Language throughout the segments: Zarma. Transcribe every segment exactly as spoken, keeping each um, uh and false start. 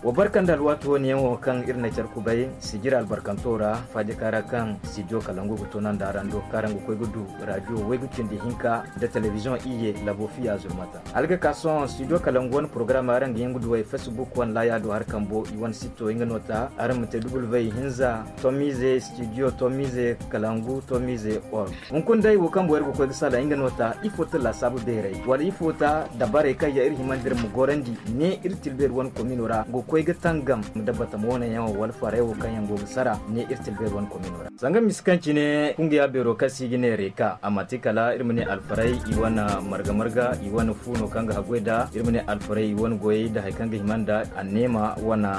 Wa barka nda alwaati wo- ne yaŋo kaŋ iri na care kubay sijira albarkanto ra, faajaka ra kaŋ studio kalangu ga toonandi araŋ do kaŋ araŋ ga koy ga du radio waygu cindi hinka nda telebizoŋ iyye labo fiya zurmata. Hala ga ka sohõ studio kalangu wane porogaram araŋ ga hin ga du ay facebook wane laaya do hari kambo i wane sitto nga no ta araŋ ma te dubul vay hinza tomize studio tomize kalangu tomize org. Hunkuna day wo kaŋ boro ga koy ga sala nga no ta ifo ta laasaabu beeray wala ifo ta dabarey kaŋ yaŋ iri himandi iri ma gorandi ne iri tilbeeri wane komino ra ga koy ga tangam da batama wane yaŋo wala faray wo kaŋ yaŋ go ga sara ne iri tilbeeri wane komino ra. Zanga misi kaŋ cine kungiya beero kaŋ se i ga ne reka a manti kala iri ma ne alfaray i wane marga marga i wane fu no kaŋ ga haggoy nda iri ma ne alfaray i wane goyey nda hari kaŋ ga hima nda anneema wane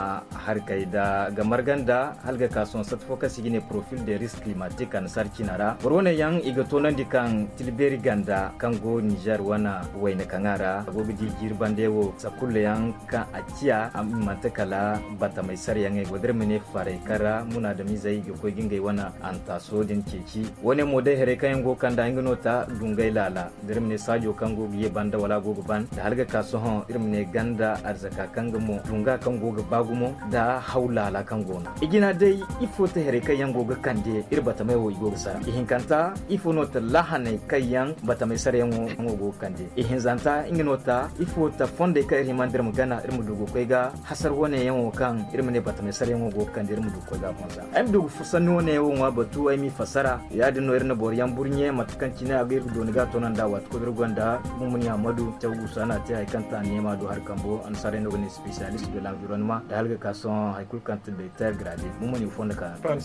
harkey nda ga marga nda hala ga ka sohõ sata fo kaŋ se i ga ne profil de risk climatique annasaara ciina ra boro wane yaŋ i ga toonandi kaŋ tilbeeri ganda kaŋ go nizer wane wayna kaŋa ra a go ga di jiiri bande wo sakulla yaŋ kaŋ a ciya i manti kala batamay sarayaŋey go da iri ma ne faray kaŋ ra munaadamizey i ga koy ga ngey wane antaaso din ceeci. Wane mo day haray kaŋ yaŋ go ga kand'a nga no ta dungay laala da iri ma ne saajo kaŋ go ga ye banda wala a go ga ban da hala ga ka sohõ iri ma ne ganda arzaka kaŋ ga mo dunga kaŋ go ga ba gumo nda haw laala kaŋ go no i jina day. Ifo te haray kaŋ yaŋ go ga kande iri batamey wo i go ga sara ihinkanta ifo no ta lahaney kaŋ yaŋ batamey sarayaŋo go ga kande ihinzanta nga no ta ifo ta fondey kaŋ iri himandi iri ma gana iri ma du ga koy ga hasar wane yaŋo kaŋ iri ma ne batamey sarayaŋo go ga kande iri ma du ga koy ga a fonza ay ma du ga sanni wane wo ŋwa batu ay m'i fassara. Ya- din no iri na boro yaŋ burɲe mate kaŋ cine a ga iri ga dooni ga a toonandi a waati kulu iri gonda. Mumuni ammadu caw guusa no a te hari kaŋ ta neema do hari kambo annasaarey no ga ne spécialiste de l'environnement da hala ga ka sohõ hari kulu kaŋ te directeur grade. Mumuni ga fondo ka yaŋ.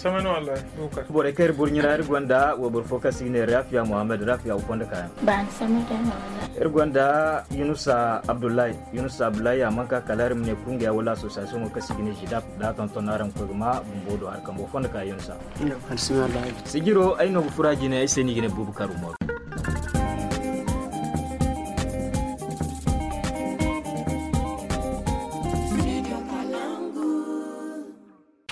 Borey kaŋ iri burɲe ra iri gonda wayboro fo kaŋ se i ga ne rafiya mohammed rafiya ga fondo ka yaŋ. Iri gonda yunusa abdullahi. Yunusa abdullahi a mana ka kala iri ma ne kungiya wala association wo kaŋ se i ga ne jidap da a tonton no araŋ ga koy ga ma bumbo do hari kambo fondo ka yunusa. Sijiro ay no ga fura jine ay se no i ga ne buubu karu moro.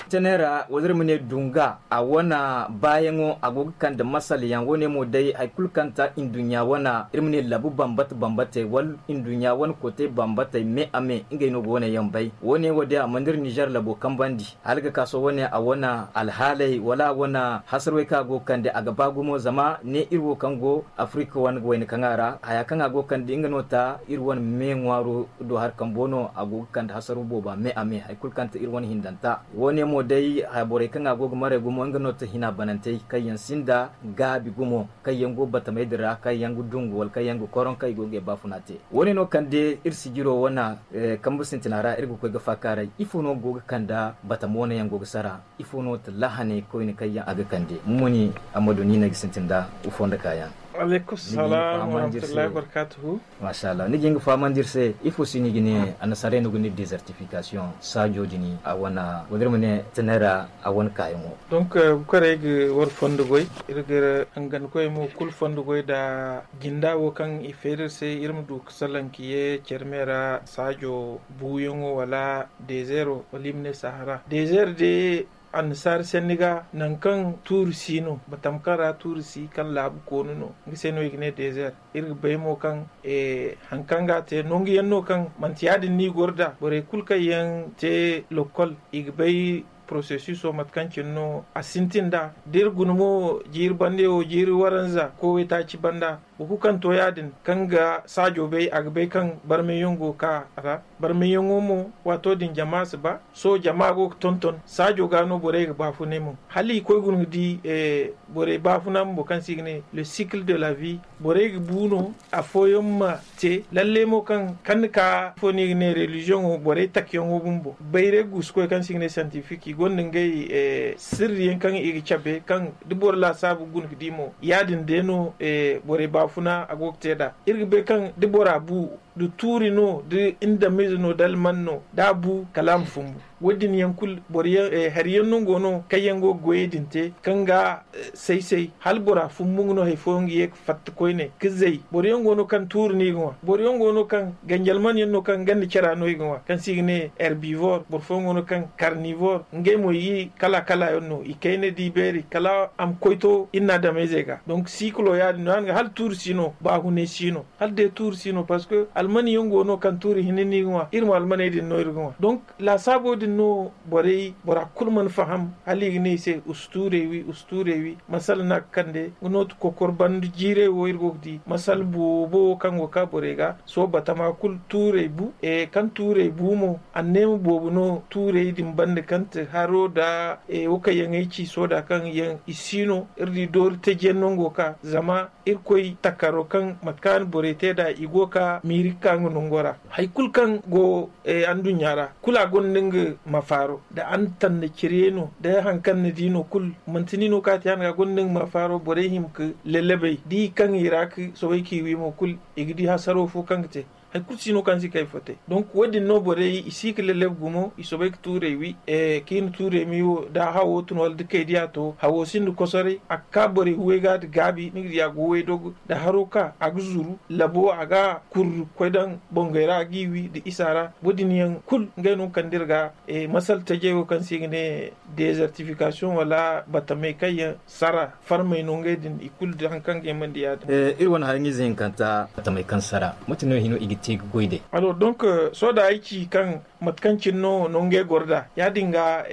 Tenera wala iri ma ne dunga a wane baayaŋo a go ga kande masala yaŋ wo- ne mo day hari kulu kaŋ ta nduɲɲa wane iri ma ne labu bambata bambatey wala nduɲɲa wane kootey bambatey me a me ngey no ga wo- ne yaŋ bay wo- ne wo- day a mana iri nizer labo kambandi. Hala ga ka sohõ wane a wane alhaaley wala a wane hasarwey kaŋ a go ga kande a ga ba gumo zama ne iri wo kaŋ go afirika wane ga wayna kaŋ a ra haya kaŋ a go ga kande nga no ta iri wane me ŋwaaro do hari kambo no a go ga kande hasaro booba me a me hari kulu kaŋ ta iri wane hindanta. Wo- ne mo day borey kaŋ a go ga maray gumo nga no ta hina banantey kaŋ yaŋ sinda gaabi gumo kaŋ yaŋ go batamey din ra kaŋ yaŋ ga dungu wala kaŋ yaŋ ga koroŋ kaŋ i go ga ay baafuna te. Wo- ne no kande iri sijiro wane kambe sintina ra iri ga koy ga faakaaray ifo no go ga kande batama wane yaŋ go ga sara? Ifo no ta lahaney koyne kaŋ yaŋ a ga kande mumuni ammadu ni no ay ga sintin nda ifo nda kaayaŋ. Aleykum salam warahmatullahi wabarakatuhu. Mashallah ni ga hin ga fahamandi iri se ifo se no i ga ne annasaarey no ga ne desertification saajo din a wane wala iri ma ne tenera a wane kaayaŋo. Donc bukar ay ga war fondo goy iri ga hangan koy mo kulu fondo goy nda jinda wo kaŋ i feeri iri se iri ma du ga salaŋ ka ye care me ra saajo buuyaŋo wala dezeero wala i ma ne sahara dezeero day annasaara sanni ga nangu kaŋ tuuri si no batama kaŋ ra tuuri si kaŋ laabu koonu no nga se no i ga ne dezeero. Iri ga bay mo kaŋ hari kaŋ ga a te nangu yaŋ no kaŋ manti ya- din no i goro nd'a borey kulu kaŋ yaŋ te lokkol i ga bay porosesuso mate kaŋ cine no a sintin nd'a da iri guna mo jiiri bande wo jiiri waranza koy waytaaci banda. Boro kulu kaŋ to ya- din kaŋ ga saajo bay a ga bay kaŋ barmayyaŋ go ga ka a ra. Barmayyaŋo mo waato din jama si ba sohõ jama go ga tonton saajo ga no borey ga baafunay mo hala i koy guna ga di borey baafuna bumbo kaŋ se i ga ne le cycle de la vie borey ga bu no. Afooyaŋ ma te lalle mo kaŋ kande ka afo no i ga ne reliziyoŋo borey takiyaŋo bumbo bayray guusukoy kaŋ se i ga ne scientifique i gonda ngey sirriyaŋ kaŋ i ga cabe kaŋ da boro laasaabu guna ga di mo ya- din day no borey baafuna a go ga te nd'a. Iri ga bay kaŋ da bora bu da tuuri no da indamize no da alman no da a bu kala a ma fumbu. Wo- din yaŋ kulu boro yaŋ hari yaŋ no go no kaŋ yaŋ go ga goyey din te kaŋ ga say say hala bora fumbu nga no hari fooyaŋ ga ye ga fatta koyne ga zay boro yaŋ go no kaŋ tuuri no i ga ŋwa boro yaŋ go no kaŋ ganjal man yaŋ no kaŋ ganda cara no i ga ŋwa kaŋ se i ga ne herbivore boro fooyaŋ go no kaŋ karnivore ngey mo i kala kala yaŋ no i kayna di beeri kala a ma koy to iri na adameyzey ga donc sikilo ya- din no ya- din ga hala tuuri si no baahunay si no hala day tuuri si no parce que Almani yaŋ go no kaŋ tuuri hinne no i ga ŋwa, iri mo almaney din no iri ga ŋwa. Donk laasaabo din no borey, bora kulu mana faham, hala i ga ne i se usu tuurey wi, usu tuurey wi. Masala no a ga kande nga no ti kokor banda jiirey wo iri go ga di masala boobo wo kaŋ go ga ka borey ga. Sohõ batama kulu tuurey bu. Kaŋ tuurey bu mo, anneema boobo no tuurey din banda kaŋ ti haro nda wo kaŋ yaŋ ay ci sohõ da kaŋ yaŋ i si no. Iri di doori taji yaŋ no nga go ga ka zama irkoy takaro kaŋ mate kaŋ a na borey te nd'a i go ga ka miiri ga ka nga nango ra. Hari kulu kaŋ go anduɲɲa ra kulu a gonda nga mafaaro nda a na tanda cire no nda hari kaŋ ni di no kulu manti ni no kaŋ a te yaadin ga a gonda nga mafaaro borey hima ga lallabey da i kaŋ i ra ga soobay k'i wi mo kulu i ga di hasaro fo kaŋ ga te. Hari kulu si no kaŋ si kay fo te. Donk wo- din no borey i si ga lallab gumo i soobay ga tuurey wi. Kaŋ i na tuurey mi wo da hawo tun wala da kay diya to hawo sinda kosoray a ga ka borey huway ga nda gaabi ni ga di a go way dogo nda haro ka a ga zuru labo a ga kurru koy daŋ bongey ra a g'i wi nda isa ra. Wo- din yaŋ kulu ngey no ga kande iri ga masal tajey wo kaŋ se i ga ne dezertifikasiyoŋ wala batamey kaŋ yaŋ sara farmey no ngey din i kulu da hari kaŋ ga himandi ya- din. Iri wane hari ɲiize hinkanta batamey kaŋ sara mate no hino i ga te ga goy day? Donk sohõ da ay ci kaŋ mate kaŋ cine no no ngey goro nd'a ya- din ga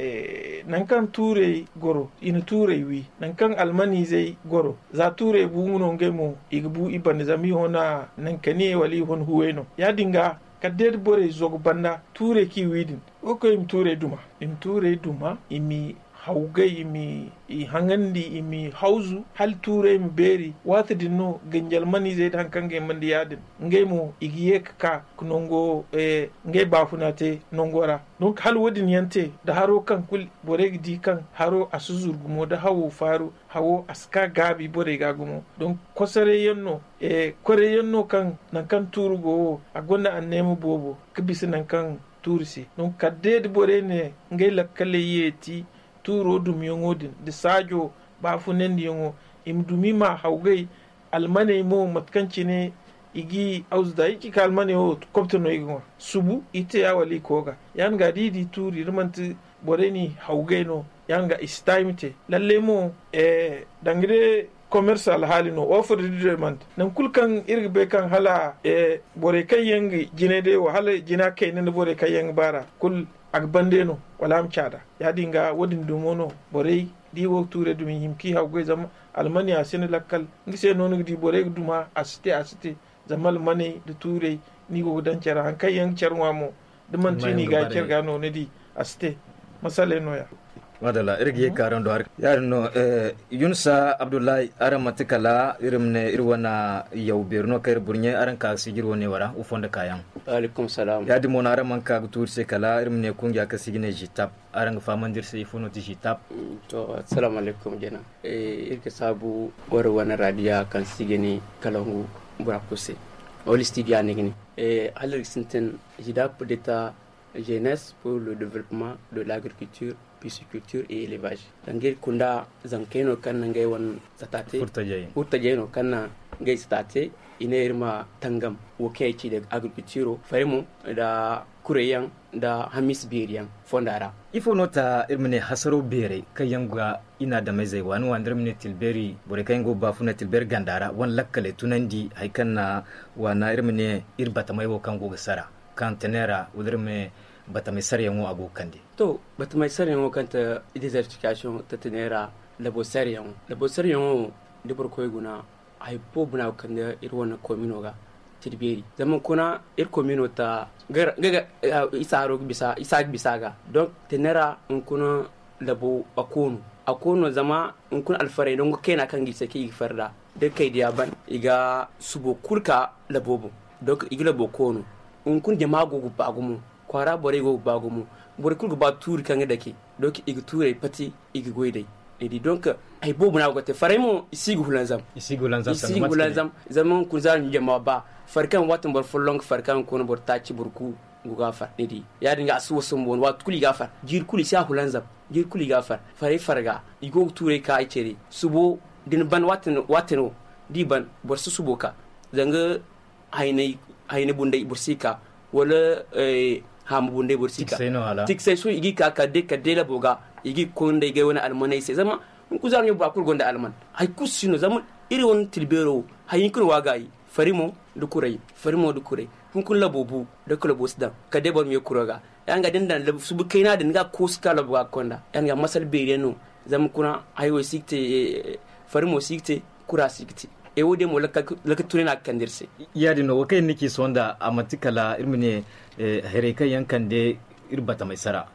nangu kaŋ tuurey goro i na tuurey wi nangu kaŋ almaniizey goro za tuurey bu nga no ngey mo i ga bu i bande zama i hona nankaniyey wala i hona huwey no ya- din ga kala day da borey zogo banda tuurey kaŋ i wi din. Wo kaŋ i ma tuurey duma i ma tuurey duma i ma i hawgay i ma i haŋandi i ma i hawzu hala tuurey ma beeri waati din no ganji almaniizey nda hari kaŋ ga himandi ya- din ngey mo i ga ye ga ka ga nango ngey baafuna te nango ra. Donk hala wo- din yaŋ te nda haro kaŋ kulu borey ga di kaŋ haro a si zuru gumo nda hawo faaru hawo a si ka gaabi borey ga gumo. Donk kosoray yaŋ no koray yaŋ no kaŋ nangu kaŋ tuuru go wo a gonda anneema boobo ga bisa nangu kaŋ tuuru se. Donk kala day da borey ne ngey lakkaley yeeti tuuro dumyaŋo din nda saajo baafunandiyaŋo i ma dumi ma hawgay. Almaney mo mate kaŋ cine i ga i awzu da i ci ka almaney wo kobto no i ga ŋwa subu i te ya wala i kooga ya- din ga da i di tuuri da manti borey n'i hawgay no ya- din ga i si ta i ma te. Lalley mo danga day komersa alhaali no ofir da demand nangu kulu kaŋ iri ga bay kaŋ hala borey kaŋ yaŋ ga jinay day wo hala jina kayna nda borey kaŋ yaŋ ga baar'a kulu a ga bande no wala a ma caada. Ya- din ga wo- din dumo no borey da i go ga tuurey dumi i hima kaŋ i hawgay zama almaniya sinda lakkal. Nga se no ni ga di borey ga duma a si te a si te zama almaney nda tuurey no i go ga daŋ care ra hari kaŋ yaŋ ga care ŋwa mo da manti i n'i ga care ga no ni di a si te. Masaley no- ya. Madalla iri ga ye ga kaaraŋ do hari ya- din no. Yunusa abdullahi araŋ manti kala iri ma ne iri wane yaw beeri no kaŋ iri burɲe araŋ ka ga sijiri wane wo ra wo fondo kaayaŋ. Ya- din mo no araŋ mana ka ga tuuri se kala iri ma ne kungiya kaŋ se i ga ne zitab. Araŋ ga fahamandi iri se ifo no ti zitab? To, assalamu alaykum jina. Iri ga saabu wara wane raadiya kaŋ se i ga ne kalangu bora kulu se wala studio a ne ga ne hala iri ga sintin zitab deta jeunesse pour le développement de l'agriculture, pisciculture et élevage. Danga iri kunda zankey no kaŋ na ngey wane sata te furtajey no kaŋ na ngey sata te. I ne iri ma tangam wo kaŋ ay ci daga agriculturo farimo nda kurey yaŋ nda hamis beeri yaŋ fonda ra. Ifo no ta iri ma ne hasaro beerey kaŋ yaŋ ga i na adameyzey waani waani da iri ma ne tilbeeri borey kaŋ yaŋ go ga baafunay tilbeeri ganda ra wane lakkaley tunandi hari kaŋ na waana iri ma ne iri batamey wo kaŋ go ga sara kaŋ tene ra wala iri ma ne batamey sarayaŋo a go ga kande? To, batamey sarayaŋo kaŋ ta dezertifikasiyoŋ ta tene ra labo sarayaŋo labo sarayaŋo da boro koy guna hari boobo no a go ga kande iri wane komino ga tilbeeri zama hunkuna iri komino ta ga ga isa haro ga bisa isa ga bisa ga donk tene ra hunkuna labo a koonu a koonu zama hunkuna alfarey nangu kayna kaŋ ga i se kaŋ i ga fari nd'a da kay diya ban i ga subo kulu ka labo boŋ. Donk i ga labo koonu hunkuna jama go ga ba gumo kwaara borey go ga ba gumo borey kulu ga ba tuuri kaŋ ga dake donk i ga tuurey pati i ga goy day. Ni di donk hari boobo no a go ga te farey mo i si ga hulanzam i si ga hulanzam zama hunkuna za ni jama ba fari kaŋ waati boro folloŋ ga fari kaŋ hunkuna boro taaci boro ku go ga a far ni di ya- din ga a si wasu bumbo waati kulu i ga a far jiiri kulu i si a hulanzam jiiri kulu i ga a far farey farga i go ga tuurey ka i cere subo da ni ban waati no da i ban boro si subo ka zanga haynay bunday boro si ka wala haama bunday boro si ka tiksay sohõ i ga i ka kala day labo ga i ga i ga koy nda ay gay wane almaney se zama hunkuna za no ɲo bora kulu gonda alman hari kulu si no zama iri wane tilbeero wo hari hinka no waagaayi fari mo da kuray, fari mo da kuray. Hunkuna labo bu da kala bo si daŋ kala day boro ma ye kuro ga. Ya nga da ni daŋ subu kayna din ni ga koosu ka labo ga konda ya nga masala beeri yaŋ no. Zama kuna hayo si ga te, fari mo si ga te, kura si ga te. Ay wo- din mo lakka tunay no a ga kande iri se. Ya- din no wo kaŋ iri na ci sohõ nda a manti kala iri ma ne, haray kaŋ yaŋ kande iri batamay sara,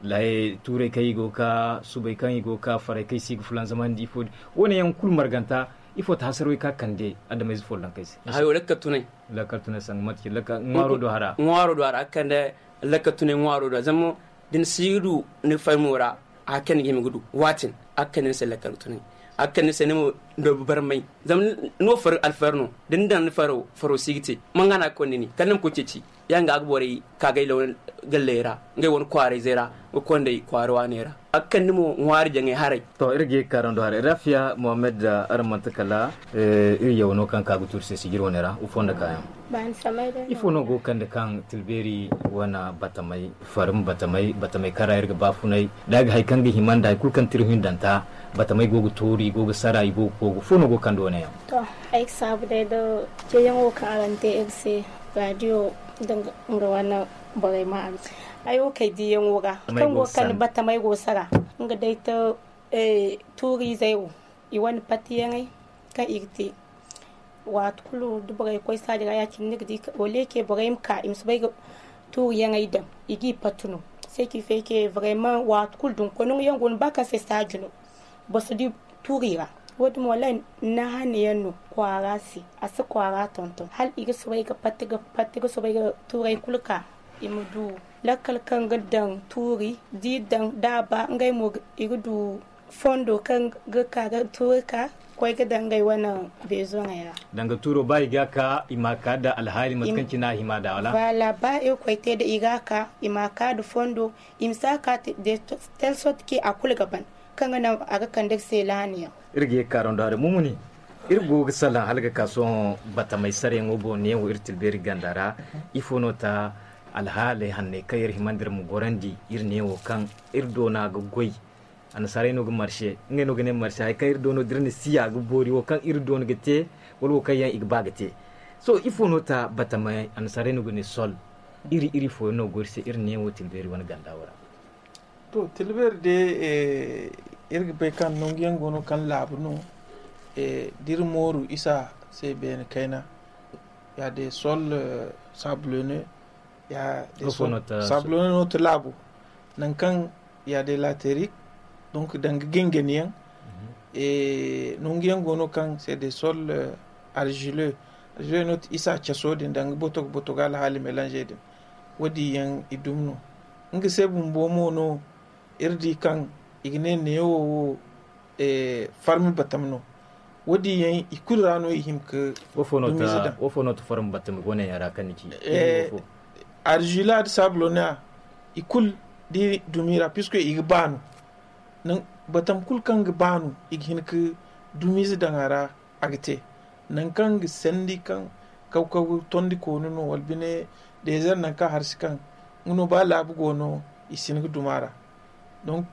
tuuray kaŋ i go ga ka, subay kaŋ i go ga ka, faray kaŋ i si ga fulanzamandi ifo din, wo- ne yaŋ kulu marganta. Ifo ti hasarwey kaŋ a kande adameyze follonkey se? Hayo lakka tunay. Lakka tunay sanga mate ci ŋwaaro do hara. Ŋwaaro do hara a ga kande lakka tunay ŋwaaro do zama da ni si ga du ni faymo ra. A ga kande ga hima ga du waatin a ga kande ni se lakka tunay. A ga kande ni se ni ma doobu barmay zama ni wo fari alfayar no. Da ni daŋ ni faro faro si ga te. Manga no a ga konda ni kala ni ma koy ceeci. Ya nga a ga borey ka gay law galley ra ngey wane kwaarayzey ra ga konday kwaara waaney ra. A ga kande mo ŋwaari jaŋay haray. To iri ga ye ga kaarando haray rafiya mohammed. Araŋ manti kala iri yaw no kaŋ ka ga tuuri se sijir wane ra ufo nda kaayaŋ. Ifo no go ga kande kaŋ tilbeeri wane batamay, farin batamay, batamay kaŋ ra iri ga baafunay da a ga hari kaŋ ga hima nda hari kulu kaŋ ti iri hindanta. Batamay go ga tuuri i go ga sara i go ga koogu fo no go ga kande wane yaŋ? To, ay ga saabu day da ceeyaŋo kaŋ araŋ te iri se, raadiyo da nga wane borey ma araŋ se. Ay wo kay diiyaŋo ga kaŋ go ga kande batamey go sara. Nga day te tuuriizey wo i wane patiyaŋey kaŋ i ga te. Waati kulu da borey koy saaji ra ya- cine ni ga di wala ye ke borey ma ka i ma si bay ga tuuriyaŋey daŋ. I g'i pati no. Seeki fay ke borey ma waati kulu da ni koy nangu yaŋ go no ba kaŋ se saaji no. Boro si di tuuri ra. Wo- din mo wallaahi naahane yaŋ no kwaara se. A si kwaara tonton hala i ga soobay ga patti ga patti ga soobay ga tuuray kulu ka i ma du lakkal kaŋ ga daŋ tuuri da i daŋ da a ba ngey mo i ga du fondo kaŋ ga ka ga tuuri ka koy ga daŋ ngey wane beezoŋey ra. Danga tuuro ba i ga ka i ma ka nda alhaali mate kaŋ cine a hima nda wala? Ba irkoy te nda i ga ka i ma ka nda fondo i ma si a ka. Telle sorte que a kulu ga ban kaŋ ga naŋ a ga kande ga se laani yaŋ. Iri ga ye ga kaaro nda haray mumuni. Iri go ga salaŋ hala ga ka sohõ batamay sarayaŋo boŋ neewo iri tilbeeri ganda ra. Ifo no ta alhaaley hanney kaŋ iri hima nda iri ma gorandi iri neewo kaŋ iri doona ga goy? Annasaarey no ga marse ngey no ga ne marse hari kaŋ iri doono da iri na siya ga boori wo kaŋ iri doona ga te wala wo kaŋ yaŋ i ga ba ga te. Sohõ ifo no ta batamay annasaarey no ga ne sol? Iri iri fooyaŋ no go iri se iri neewo tilbeeri wane ganda wo ra. To tilbeeri day iri ga bay kaŋ nangu yaŋ go no kaŋ laabu no da iri mooru isa se beene kayna. Ya day sol sablone ya day sol sablone no ti laabu. Nangu kaŋ ya day laterik donc danga gengeni yaŋ. Nangu yaŋ go no kaŋ se day sol argile argile no ti isa caso din danga botogo botogo alhaali melange din. Wo- din yaŋ i dumi no. Nga se bumbo mo no iri di kaŋ i ga ne neewo wo farmi batam no. Wo- din yaŋ i kulu ra no i hin ga dumiize daŋ. Wo- fo no ti farmi batam i go ne yaŋ ra kaŋ ni ci? Arzila nda sablona i kulu da i dumi ra puisque i ga baanu. Batam kulu kaŋ ga baanu i ga hin ga dumiize daŋ a ra. A ga te nangu kaŋ ga sandi kaŋ kaw kaw tondi koonu no wala bine deezer nangu kaŋ harsi kaŋ nga no ba laabu go no i si hin ga duma ra. Donc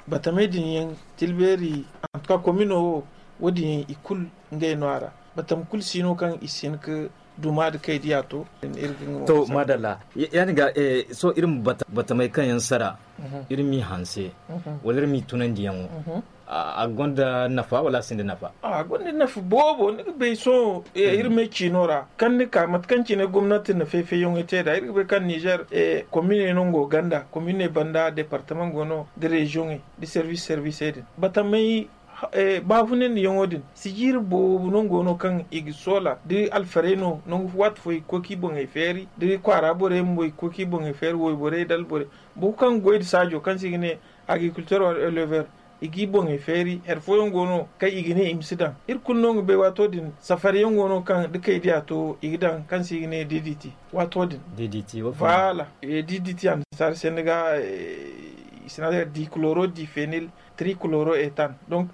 batamey din yaŋ tilbeeri antuka komino wo wo- din yaŋ i kulu ngey no a ra. Batam kulu si no kaŋ i si hin ga duma nda kay diya to. To maadalla. Ya- din ga sohõ iri ma batamey kaŋ yaŋ sara iri m'i hanse wala iri m'i tunandiyaŋo a gonda nafa wala a sinda nafa? A gonda nafa boobo ni ga bay sohõ iri me ciino ra kaŋ ni ka mate kaŋ cine gomnati na fay-fayyaŋey te nd'a iri ga bay kaŋ nizer komine no nga go ganda komine banda departamaŋ go no da reziyoŋey da servis servisey din batamey baafunandiyaŋo din sijiiri boobo no nga go no kaŋ i ga soola da alfarey no nangu waati fo i ga koy k'i boŋey feeri da kwaara borey bumbo i ga koy k'i boŋey feeri wayborey da alborey boro kulu kaŋ ga goy nda saajo kaŋ se i ga ne agriculteur wala elever i g'i boŋey feeri hari fooyaŋ go no kaŋ i ga ne i ma si daŋ iri kulu no ga bay waato din safariyaŋ go no kaŋ da kay diya to i ga daŋ kaŋ se i ga ne ddt waato din. Ddt annasaara se ni ga i si ne a se dikuloro difenil trikuloro etan donc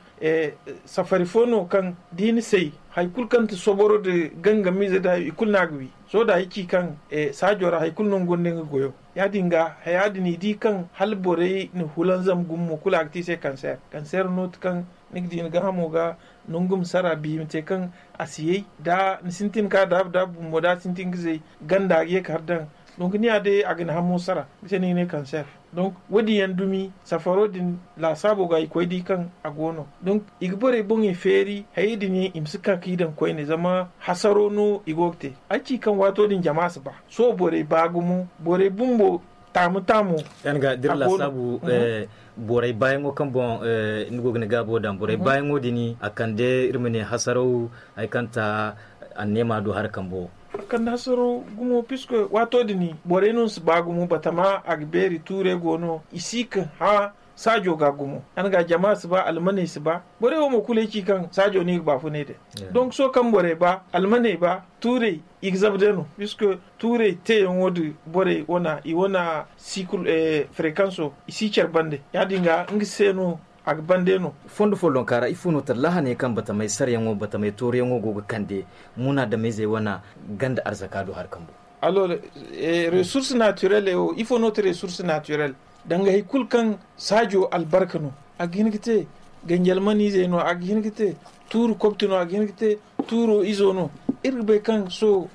safari fo no kaŋ da i na say hari kulu kaŋ ti soboro nda gangamiize nda i kulu no a ga wi sohõ da ay ci kaŋ saajo ra hari kulu no nga gonda nga goyo. Ya- din ga haya din i di kaŋ hala borey na hulanzam gumo kulu a ga te i se kanseer kanseer no ti kaŋ Ni ga di ni gaahamo ga nangu ma sara biima te kaŋ a si yay da ni sintin ka daabu daabu bumbo da a sintin ga zay ganda a ga ye ka har daŋ. Donc ni ya day a ga ni hamo sara bisa ni ga ne cancer. Donc wo- din yaŋ dumi safaro din laasaabo ga i koy di kaŋ a go no. Donc i ga borey boŋey feeri hayey din yaŋ i ma si ka ka i daŋ koyne zama hasaro no i go ga te. Ay ci kaŋ waato din jama si ba sohõ borey ba gumo borey bumbo taamu taamu. Yaŋ ga dira laasaabu borey baayaŋo kaŋ boŋ ni go ga ni gaabo daŋ borey baayaŋo din a kande iri ma ne hasaraw hari kaŋ ta anneema do hari kambo. A kande hasaraw gumo puisque waato din borey no si ba gumo batama a ga beeri tuurey go no i si ka hã saajo ga gumo. Yaŋ ga jama si ba almaney si ba borey wo mo kulu ay ci kaŋ saajo no i ga baafunay day. Donc sohõ kaŋ borey ba almaney ba tuurey i ga zabu day no puisque tuurey teeyaŋo da borey wana i wana sikul frekanso i si care bande ya- din ga nga se no a ga bande no. Fondo follonka ra ifo no ta lahaney kaŋ batamey sarayaŋo batamey tooruyaŋo go ga kande munaadameyzey wana ganda arzaka do hari kambo. Alors resource naturelle wo ifo no ta resource naturelle danga hari kulu kaŋ saajo albarka no a ga hin ga te ganji almaniizey no a ga hin ga te tuuru kobti no a ga hin ga te tuuro izo no. Iri ga bay kaŋ sohõ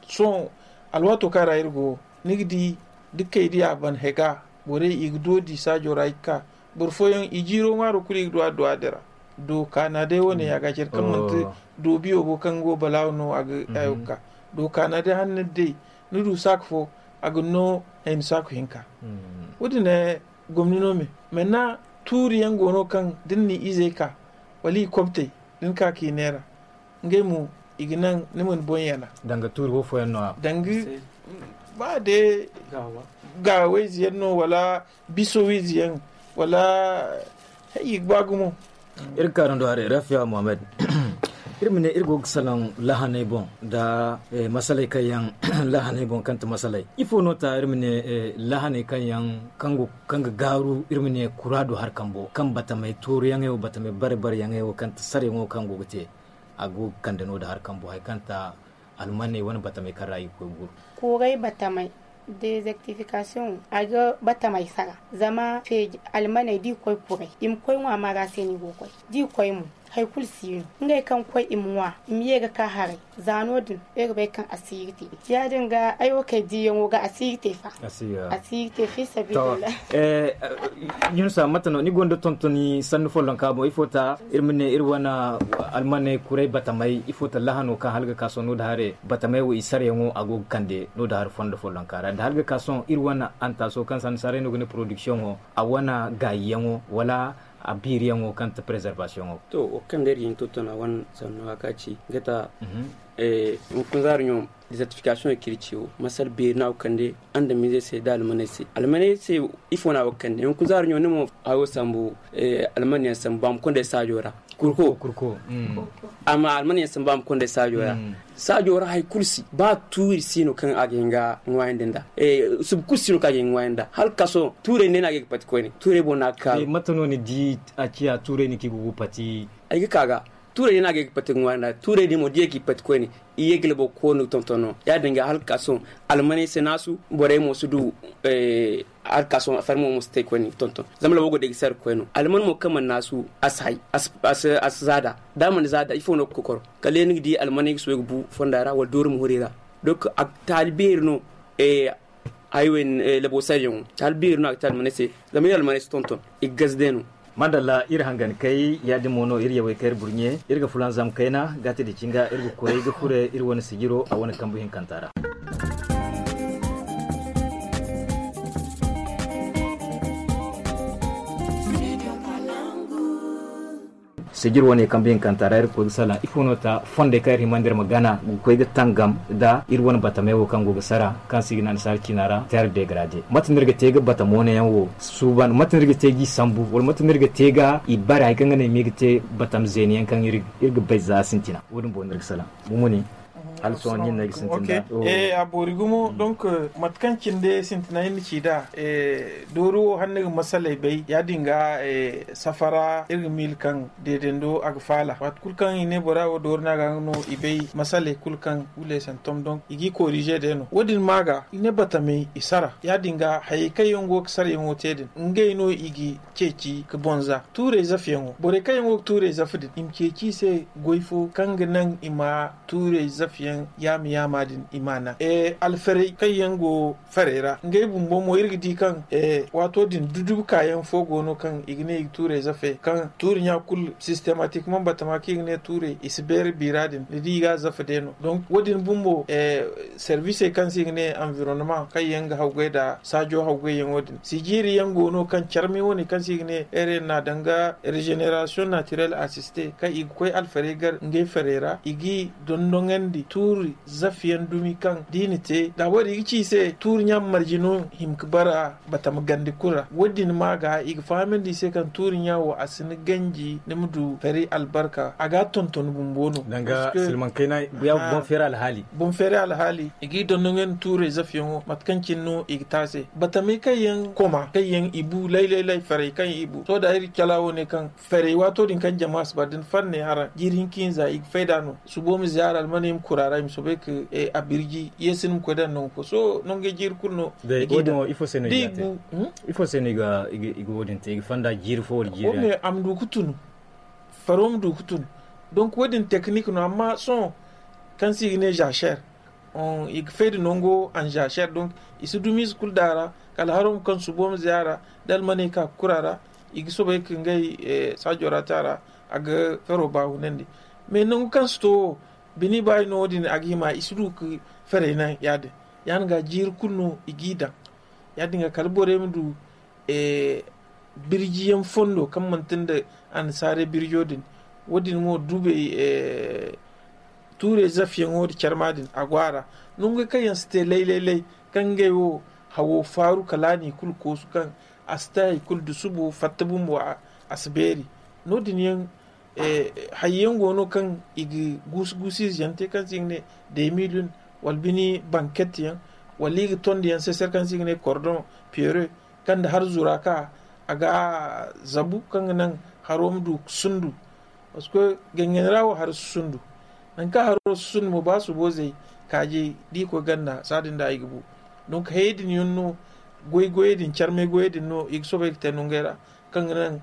sohõ alwaato kaŋ ra iri go wo ni ga di da kaydiya ban hega borey i ga doodi saajo ra i ga ka boro fooyaŋ i jiiro ŋwaaro kulu i ga du addu'a din ra. Do kaana day wane ya ga care kaŋ manti do biyo go kaŋ go balaawo no a ga hayo ga ka do kaana day hanna day ni du saaka fo a ga no hayni saaka hinka. Wo- din gomni no me manna tuuri yaŋ go no kaŋ da ni na i izey ka wala i kobtey da ni ka ka i neera ngey mo i ga naŋ ni mana boŋ yana. Danga tuuri wo fooyaŋ no a danga ba day gaawayze yaŋ no wala biso wiize yaŋ wala hay i ga ba gumo. Iri ga kaanu do haray rafiya mohammed. Iri ma ne iri go ga salaŋ lahanay boŋ nda masaley kaŋ yaŋ lahanay boŋ kaŋ ti masaley ifo no ta iri ma ne lahanay kaŋ yaŋ kaŋ ga gaaru iri ma ne kura do hari kambo kaŋ batamey tooruyaŋey wo batamey bare bare yaŋey wo kaŋ ti sarayaŋo kaŋ go ga te a go ga kande no da hari kambo hari kaŋ ta almaney wane batamey kaŋ ra i ga koy ga guru. Kuray batamey dezertifikasiyoŋ a ga batamey sara zama feeji almaney da i koy kuray i ma koy ŋwa maara se no i go ga koy da i koy mo hari kulu si no ngey kaŋ ga koy i ma ŋwa i ma ye ga ka haray. Za no- din iri ga bay kaŋ asiiri te ya- din ga ay wo kay diiyaŋo ga asiiri te fa. Asiiri te fi sabiila. Yunusa mate no ni gonda tontoni sanni follonka boŋ ifo ta iri ma ne iri wane almaney kuray batamey ifo ta lahano kaŋ hala ga ka sohõ no- din hare batamey wo i sarayaŋo a go ga kande no- din hare fondo follonka ra da hala ga ka sohõ iri wane antaso kaŋ sanni saray no ga ne porodikisiyoŋo a wane gaayiyaŋo wala a biiriyaŋo kaŋ ti preservasiyoŋo. To wo kaŋ day iri ga hin tontona wane sanno a ka ci ga ta hunkuna zaari ɲo. Desertifikasiyoŋ kaŋ iri ci wo masala beeri no a go ga kande andamiizey se nda almaney se almaney se. Ifo no a go ga kande hunkuna zaari ɲo ni mo hayo sambu almaney yaŋ sambu a ma konday saajo ra. Kurko. Amma almaney yaŋ sambu a ma konday saajo ra. Saajo ra hari kulu si ba tuuri si no kaŋ a ga hin ga ŋwaayandi nda subu kulu si no kaŋ a ga hin ga ŋwaayandi nda hala ga ka sohõ tuurey ne no a ga ye ga pati koyne tuurey boŋ no a ga kaaru. Mate no ni di a ciya tuurey no kaŋ i ga gu pati. Ay ga ka ga tuurey din no a ga ye ga pati ga ŋwaari nda tuurey din mo da i ye ga i pati koyne i ye ga labo ga koonu ga tonton no ya- din ga hala ga ka sohõ almaney si naasu borey mo si du hala ga ka sohõ affaire mo mo si te koyne ga tonton zama labo go day ga sara ga koy no alman mo kaŋ mana naasu a si hay a si zaada da a mana zaada ifo no ga kokoro kala day ni ga di almaney ga soobay ga bu fonda ra wala doori ma hori ra. Donc a ga taali beeri no. Hayo yaŋ labo sayyaŋo taali beeri no a ga te almaney se. Zama iri almaney si tonton i ga gaze day no. Madalla iri hangan kay ya- din mo no iri yawey kay iri burɲe iri ga fulanzam kayna gaati da cinga iri ga koy ga fure iri wane sijiro a wane kambu hinkanta ra. Sijir wane kambe hinkanta ra iri ga koy ga salaŋ ifo no ta fondey kaŋ iri himandi iri ma gana ga koy ga tangam nda iri wane batamey wo kaŋ go ga sara kaŋ se i ga ne annasaara ciina ra terre dégradée mate no iri ga te ga batamo ne yaŋ wo suuban mate no iri ga te ga i sambu wala mate no iri ga te ga i bare hari kaŋ ga ne i ma i ga te batam zeeni yaŋ kaŋ iri ga bay za sintina wo- din boŋ no iri ga salaŋ. Mumuni. Hala sohõ ni hinne ga sintin da. Eh, a boori gumo. Donc, mate kaŋ cine day sintina iri na ci nd'a, dooru wo hala ni ga masaley bay, ya-din ga, safara iri ga miila kaŋ deedando a ga faala. Waati kulu kaŋ i ne bora wo dooru no a ga no i bay masaley kulu kaŋ guleesantom, donc i g'i koorize day no. Wo-din ma ga i ne batamey i sara, ya-din ga hayey kaŋ yaŋ go ga sarayaŋo te din, ngey no i ga ceeci ga bonza tuurey zafiyaŋo. Borey kaŋ yaŋ go ga tuurey zafi din, i ma ceeci i se goy fo kaŋ ga naŋ i ma tuurey zafiyaŋ yaama-yaama din i ma naŋ. Alfarey kaŋ yaŋ go farey ra, ngey bumbo mo iri ga di kaŋ waato din dudubu kaayaŋ fo go no kaŋ i ga ne i ga tuurey zafe kaŋ tuuri ɲa kulu sistematik man batama kaŋ i ga ne tuurey i si beeri biira din ni di i ga a zafe day no. Donc wo-din bumbo servisey kaŋ se i ga ne anvironnement kaŋ yaŋ ga hawgay nda saajo hawgayyaŋo din si jiiri yaŋ go no kaŋ carmi wane kaŋ se i ga ne ere na danga regeneration naturel assiste kaŋ i ga koy alfarey gar ngey farey ra i g'i dondoŋandi tuuri zafiyaŋ dumi kaŋ da i na te da wo-din i ga ci i se tuuri ɲa ma marje no hima ga bara batama gandi kulu ra. Wo-din ma ga i ga fahamandi i se kaŋ tuuri ɲa wo a si ni ganji ni ma du fari albarka a ga a tonton bumbo no. Danga silmaŋ kayna ya boŋ feeri alhaali. Boŋ feeri alhaali i g'i dondoŋandi tuurey zafiyaŋo mate kaŋ cine no i ga te a se batamey kaŋ yaŋ koma kaŋ yaŋ i bu lay-lay-lay farey kaŋ i bu sohõ da iri cala wo ne kaŋ farey waato din kaŋ jama si ba da ni far ne haraŋ jiiri hinka hinza i ga fay nd'a no. Subo ma ziyaara almaney ma kuru a ra i ma soobay ka a birji yeesi ni ma koy daŋ nangu fo sohõ nangey jiiri kulu no. Ifo se no i ga wo-din te i ga fonda jiiri fo wala jiiri a ma du ga tun faro ma du ga tun. Donc wo-din tekinik no amma sohõ kaŋ se i ga ne zaser i ga fay nda nango anzaser donc i si dumi ize kulu daŋ a ra kala haro ma kaŋ subo ma ziyaara da almaney ka ga kuru a ra i ga soobay ka ngey saajo ra te a ra a ga faro ba hunandi. Mais nangu kaŋ si to wo bini ba i no wo-din a ga hima i si du ga farey naŋ ya-din ya-din ga jiiri kulu no i g'i daŋ ya-din ga kala borey ma du birjiyaŋ fondo kaŋ manti nda annasaarey birjo din. Wo-din mo dubey tuurey zafiyaŋo nda carma din a go a ra nongey kaŋ yaŋ si te lay-lay-lay kaŋ ngey wo hawo faaru kala a n'i kulu koosu kaŋ a si te hari kulu da subo fatta bumbo a si beeri. No-din yaŋ hayey yaŋ go no kaŋ i ga guusu-guusu ize yaŋ te kaŋ se i ga ne demilin wala bini banket yaŋ wala i ga tondi yaŋ sesere kaŋ se i ga ne kordoŋ piyere kaŋ nda har zura ka a ga zabu kaŋ ga naŋ haro ma du ga sundu. Parce que gangan ra wo haro si sundu nangu kaŋ haro si sundu mo ba subo zay kaajey da i koy ganda saadin da i ga bu. Donc hayey din yaŋ no goy goyey din carmay goyey din no i ga soobay ga te nongey ra kaŋ ga naŋ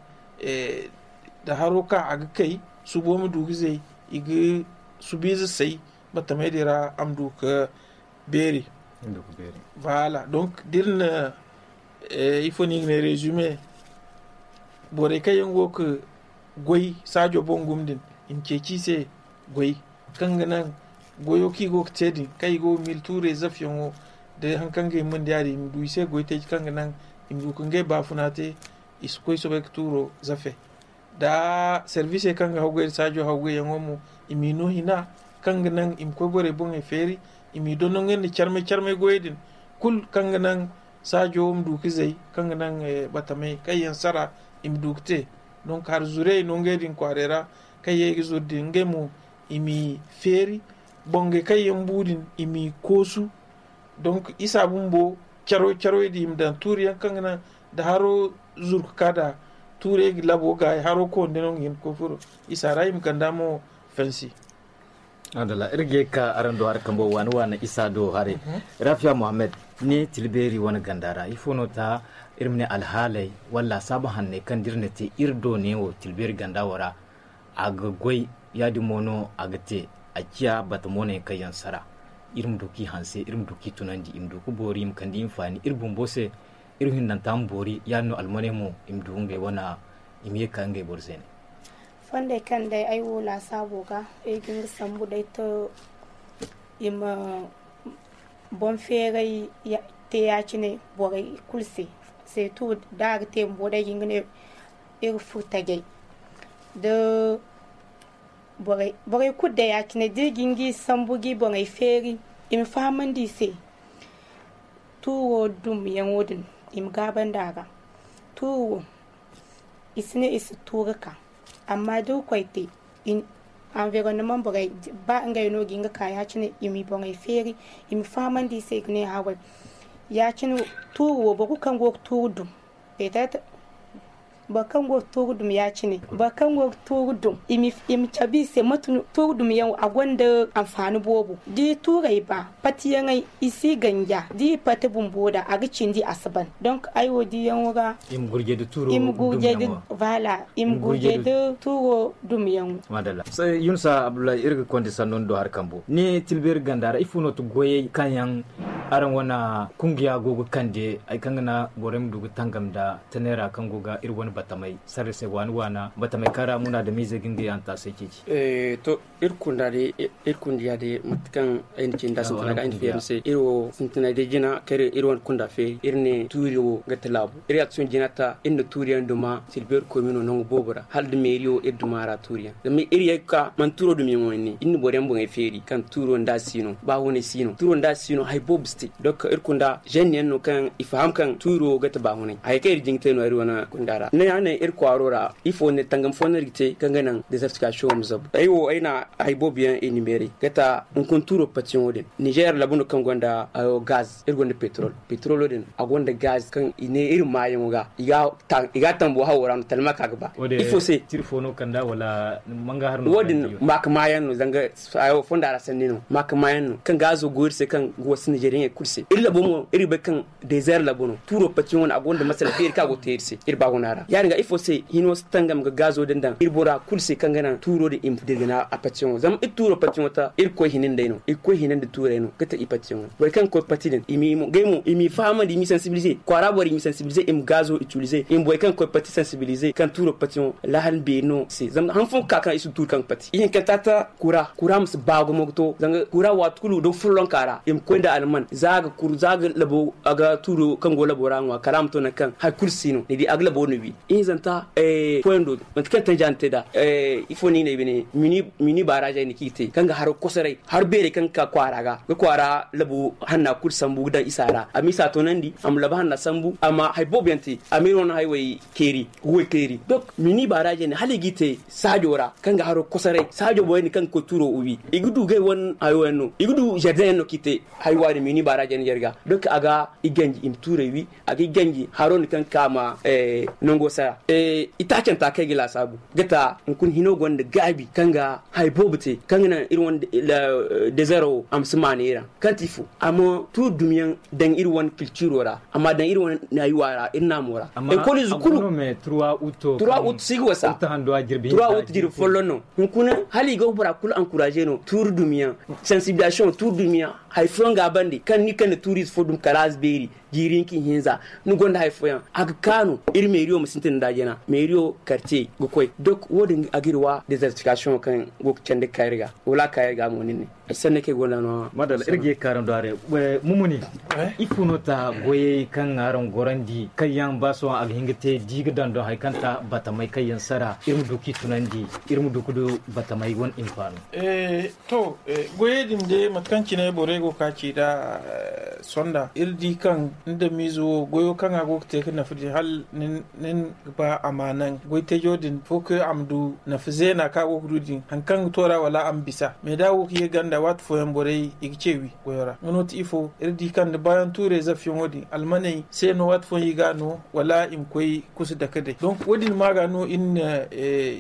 da haro ka a ga kay subo ma du ga zay i ga subiize say batamey din ra a ma du ga beeri. Voilà donc da iri na ifo no i ga ne resume borey kaŋ yaŋ go ga goy saajo boŋ gumo din i ma ceeci i se goy kaŋ ga naŋ goyo kaŋ i go ga te din kaŋ i go ga miila tuurey zafiyaŋo da hari kaŋ ga hima nda ya-din i ma du i se goy teeci kaŋ ga naŋ i ma du ga ngey baafuna te. I si koy soobay ga tuuro zafe da servisey kaŋ ga hawgay nda saajo hawgayyaŋo mo i m'i no hina kaŋ ga naŋ i ma koy borey boŋey feeri i m'i dondonandi carmay carmay goyey din kulu kaŋ ga naŋ saajo ma du ga zay kaŋ ga naŋ batamey kaŋ yaŋ sara i ma du ga te. Donc hari zurey no ngey din kwaaray ra kaŋ ye ga zuru din ngey mo i m'i feeri bongey kaŋ yaŋ bu din i m'i koosu. Donc isa bumbo caro caroy din i ma daŋ tuuri yaŋ kaŋ ga naŋ da haro zuru ga ka da tuurey ga labo gaayi haro konda no nga hin ga koy furo isa ra i ma ganda mo fansi. Adala iri ga ye ga ka araŋ do hari kambo waani waani isa do haray. Rafiya muhammad ne tilbeeri wane ganda ra ifo no ta iri ma ne alhaaley wala laasaabu hanney kaŋ da iri na te iri do neewo tilbeeri ganda wo ra a ga goy ya-din mo no a ga te a ciya bata mooney kaŋ yaŋ sara iri ma du kaŋ i hanse iri ma du kaŋ i tunandi i ma du ga boori i ma kande i ma faani iri bumbo se iri hindanta ma boori ya-din no almaney mo i ma du ngey wane i ma ye ga ka ngey boro zeeney. Fondey kaŋ day ay wo laasaabo ga ay ga nga sambu day to i ma boŋ feeray te ya-cine borey kulu se. Seetu da a ga te bumbo day ga nga ne iri furo tajay da borey kulu day ya-cine da iri ga nga sambu ga i boŋey feeri i ma fahamandi i se. Tuuro dumyaŋo din i ma gaabandi a ga tuuro i si ne i si tuuri ka amma da iri koy te Anvironnement borey, ba ngey no ga hin ga ka ya- cine i ma i borey feeri, i ma fahamandi i se i ga ne haway. Ya- cine, tuuru wo boro kulu kaŋ go ga tuuru dum, petet boro kaŋ go ga tuuru dum ya- cine, boro kaŋ go ga tuuru dum i ma cabe i se mate no tuuru dum yaŋ wo a gonda anfaani boobo. Da i tuurey ba patiyaŋey, i si ganja da i pati bumbo da a ga cindi a si ban. Donk ay wo diyaŋo ga i ma gurje da tuuro dumyaŋo. Voilà, i ma gurje da tuuro dumyaŋo. Madalla. Yunusa abdullahi, iri ga konda sanno ni do hari kambo ni tilbeeri ganda ra ifo no ti goyey kaŋ yaŋ araŋ wane kungiya go ga kande hari kaŋ ga naŋ borey ma du ga tangam nda tanay ra kaŋ go ga iri wane batamey sarre se waana waana batamey kaŋ ra muna da miize ga ngey hantaasey ceeci. To, iri kunda day iri kundiya day mate kaŋ ay na ci nda sintina ga ay na feeri ni se, iri wo sintinay day jina kaŋ iri wane kunda feeri iri ne tuuri wo ga ti laabu. Iri action jina ta iri na tuuriyaŋ duma silbeeri koy mino nangu boobo ra hala da meeri wo iri duma ra tuuriyaŋ zama iri ye ga ka mana tuuro dumiyaŋo yaŋ ne iri na boro yaŋ boŋey feeri kaŋ tuuro nda a si no ba hunay si no tuuro nda a si no hari boobo si te. Donk iri kunda zenniyaŋ no kaŋ i faham kaŋ tuuro ga ti ba hunay hari kaŋ iri jin ga te no iri wane kunda ra ne ya ne iri kwaaro ra ifo ne tangam fo no iri ga te kaŋ ga naŋ desertification wo ma zabu ay wo ay na hari boobo yaŋ iri na meeray ga ta hunkuna tuuro patiyaŋo din nizer labu no kaŋ gonda gaz iri gonda petrol petrolo din a gonda gaz kaŋ i ne iri maayaŋo ga i ga a tambo hawo ra no talma ka ga ba ifo se wo-din maaka maayaŋ no zanga fonda ra sanni no maaka maayaŋ no kaŋ gaazo go iri se kaŋ ga wasu nizeriyaŋey kulu se iri labo mo iri ga bay kaŋ dezer labo no tuuro patiyaŋo no a gonda masala feeri kaŋ a go ga te iri se iri baaguna ra ya- din ga ifo se hino si tangam ga gaazo din daŋ iri bora kulu se kaŋ ga naŋ tuuro din i ma dirgina a patiyaŋo zama iri tuuro patiyaŋo ta iri ga koy hina nd'ey no iri ga koy hina nda tuurey no ga ta i patiyaŋo borey kaŋ ga koy pati din i m'i mo gay mo i m'i fahamandi i m'i sensibilize kwaara borey i m'i sensibilize i ma gaazo itilize i ma borey kaŋ ga koy pati sensibilize kaŋ tuuro patiyaŋo laahal beeri no se zama han fooyaŋ ga ka kaŋ i si tuuri kaŋ ga pati ihinkanta ta kura kura ma si baa gumo ga to zanga kura waati kulu da follonka ra i ma koy nda alman za a ga kuru za a ga labo a ga tuuro kaŋ go labo ra ŋwa kala a ma to nangu kaŋ hari kulu si no ni di a ga labo no wi ihinzanta fooyaŋ do manti kaŋ tanja ni te nd'a ifo no i ne bine mini baaraazey no kaŋ i te kaŋ ga haro kosoray haro beerey kaŋ ga ka kwaara ga ga kwaara labo hanna kulu sambu ga daŋ isa ra a ma isa toonandi a ma labo hanna sambu a ma hari boobo yaŋ te a ma iri wane haywey keeri ga goy keeri donk mini baaraazey ne hala i g'i te saajo ra kaŋ ga haro kosoray saajo borey din kaŋ ga koy tuuro wi i ga du gay wane hayo yaŋ no i ga du zardeŋ yaŋ no kaŋ i te haywa din mini baaraazey ne jarga donk a ga i ganji i ma tuurey wi a ga i ganji haro din kaŋ ga ka ma nango sara itaacanta kaŋ ay ga laasaabu ga ta hunkuna hino gonda gaabi kaŋ ga hari boobo te kaŋ ga naŋ iri wane dezero wo a ma si maana iri ra kaŋ ti ifo a ma tuuri dumiyaŋ daŋ iri wane kilciro ra a ma daŋ iri wane naayuwa ra iri naamo ra ekoliize kulu trois août si ga wasa trois août jirbi folloŋ no hunkuna hala i go ga bora kulu ankuraze no tuuri dumiyaŋ sansibilisasiyoŋ tuuri dumiyaŋ hari fooyaŋ ga a bande kaŋ ni kande tuuriize fo dumi kala a si beeri jiiri hinka ihinza ni gonda hari fooyaŋ a ga kaanu iri meeriyo ma sintin nda jina meeriyo kartiyey ga koy dok wo- din a ga iri wa dezertifikasiyoŋo kaŋ go ga candi ga ka iri ga wala a ka iri ga mo nin ne ay sanni kaŋ ay gonda no madalla iri ga ye ga kaaraŋ do haray mumuni ifo no ta goyey kaŋ araŋ gorandi kaŋ yaŋ ba sohõ a ga hin ga te di ga daŋ do hari kaŋ ta batamey kaŋ yaŋ sara iri ma du k'i tunandi iri ma du ga du batamey wane hinfaano to goyey din day mate kaŋ cine borey go ga ka ci nd'a sonda iri di kaŋ ni damiize wo goyo kaŋ a go ga te ga nafa din hala nin ga ba a ma naŋ goytajo din fo kaŋ a ma du nafa zeena kaŋ a go ga du din hari kaŋ ga to ra wala a ma bisa mais da a go ga ye ganda waati fooyaŋ borey i ga ce wi goyo ra nga no ti ifo iri di kaŋ da baayaŋ tuurey zafiyaŋo din almaney se no waati fooyaŋ i ga a no wala i ma koy kusa dake day donc wo- din ma ga no iri na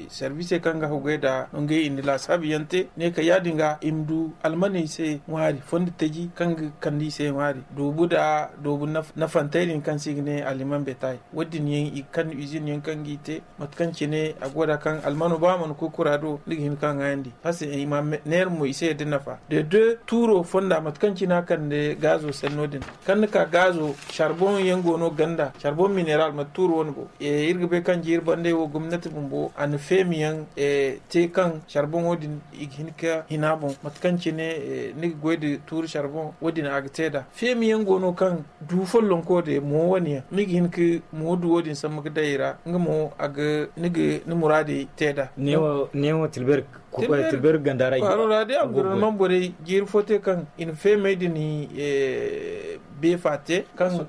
sarbiisey kaŋ ga haggoy nd'a no ngey i na laasaabu yaŋ te ne ka ya- din ga i ma du almaney se ŋwaari fondo taji kaŋ ga kande i se ŋwaari doobu nda doobu nafantey din kaŋ se i ga ne aliman betay wo- din yaŋ i ga kande izin yaŋ kaŋ ga i te mate kaŋ cine a go nd'a kaŋ almano ba a mana koy kura do ni ga hin ka ŋwaayandi parce que i ma neera mo i se yadda nafa de deux tuuro fonda mate kaŋ cine a kande gaazo sanno din kaŋ ni ka gaazo charbon yaŋ go no ganda charbon mineral mate tuuro wane go iri ga bay kaŋ jiiri bandey wo gomnati bumbo a na feemiyaŋ te kaŋ charbon wo- din i ga hin ka hina boŋ mate kaŋ cine ni ga goy nda tuuri charbon wo- din a ga te nd'a feemiyaŋ go no kaŋ du follonko de mo wane yaŋ ni ga hin ka mo du wo- din sambu ga day i ra nga mo a ga ni ga ni muraadey te nd'a neewo tilber Tilbeeri ganda ra i go. Kwaaro ra day, anvironman borey jiiri fo te kaŋ i na feemey din beefa te kaŋ.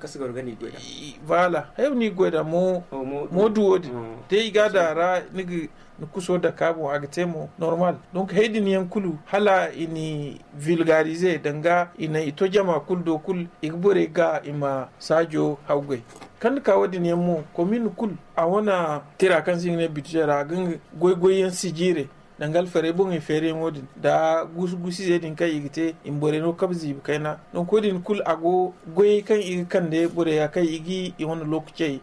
Voilà, hayo ni goy da mo duwo din te i ga da ra. Ni kuso daka boŋ a ga te mo normal. Donc hay din yaŋ kulu hala i ni vulgarize danga i na i to jama kulu do kulu i ga borey ga i ma saajo hawgay. Kaŋ ni ka wo- din yaŋ mo komin kulu a wane tira kaŋ se i ga ne budget ra a ga nga goy-goy yaŋ sijiire. Danga alfarey boŋey feeriyaŋo din nda gusu-gusu izey din kaŋ i ga te i ma borey no kabe ziibi kayna. Donc wo- din kulu a go goyey kaŋ i ga kande borey ya kaŋ i ga i wane lookacey